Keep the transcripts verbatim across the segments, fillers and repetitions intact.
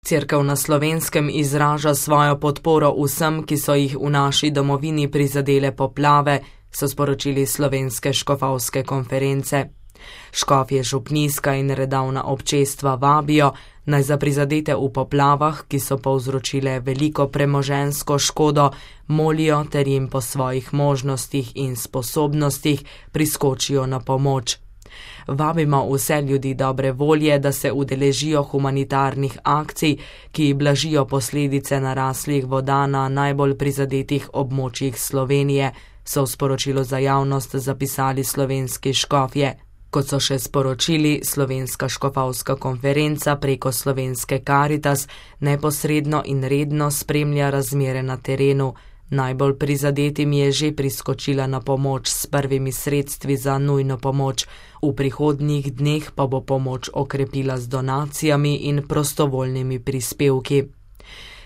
Cerkev na Slovenskem izraža svojo podporo vsem, ki so jih v naši domovini prizadele poplave, so sporočili Slovenske škofovske konference. Škofje župnijska in redavna občestva vabijo, naj za prizadete v poplavah, ki so povzročile veliko premoženjsko škodo, molijo ter jim po svojih možnostih in sposobnostih priskočijo na pomoč. Vabimo vse ljudi dobre volje, da se udeležijo humanitarnih akcij, ki blažijo posledice naraslih voda na najbolj prizadetih območjih Slovenije, so v sporočilu za javnost zapisali slovenski škofje. Kot so še sporočili, Slovenska škofovska konferenca preko Slovenske Karitas neposredno in redno spremlja razmere na terenu. Najbolj prizadetim je že priskočila na pomoč s prvimi sredstvi za nujno pomoč. V prihodnjih dneh pa bo pomoč okrepila z donacijami in prostovoljnimi prispevki.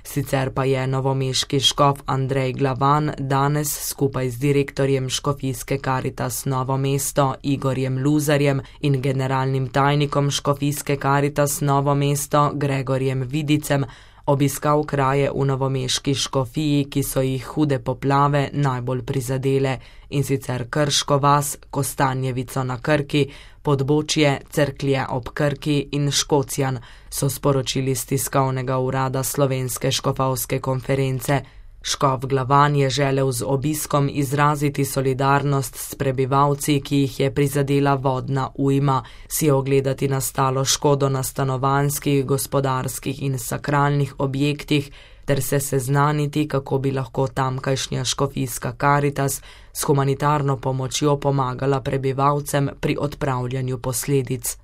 Sicer pa je novomeški škof Andrej Glavan danes skupaj z direktorjem Škofijske Karitas Novo mesto Igorjem Luzarjem in generalnim tajnikom Škofijske Karitas Novo mesto Gregorjem Vidicem obiskal kraje v novomeški škofiji, ki so jih hude poplave najbolj prizadele, in sicer Krško vas, Kostanjevico na Krki, Podbočje, Cerklje ob Krki in Škocjan, so sporočili z tiskovnega urada Slovenske škofovske konference. Škof Glavan je želel z obiskom izraziti solidarnost s prebivalci, ki jih je prizadela vodna ujma, si ogledati nastalo škodo na stanovanjskih, gospodarskih in sakralnih objektih ter se seznaniti, kako bi lahko tamkajšnja Škofijska Karitas s humanitarno pomočjo pomagala prebivalcem pri odpravljanju posledic.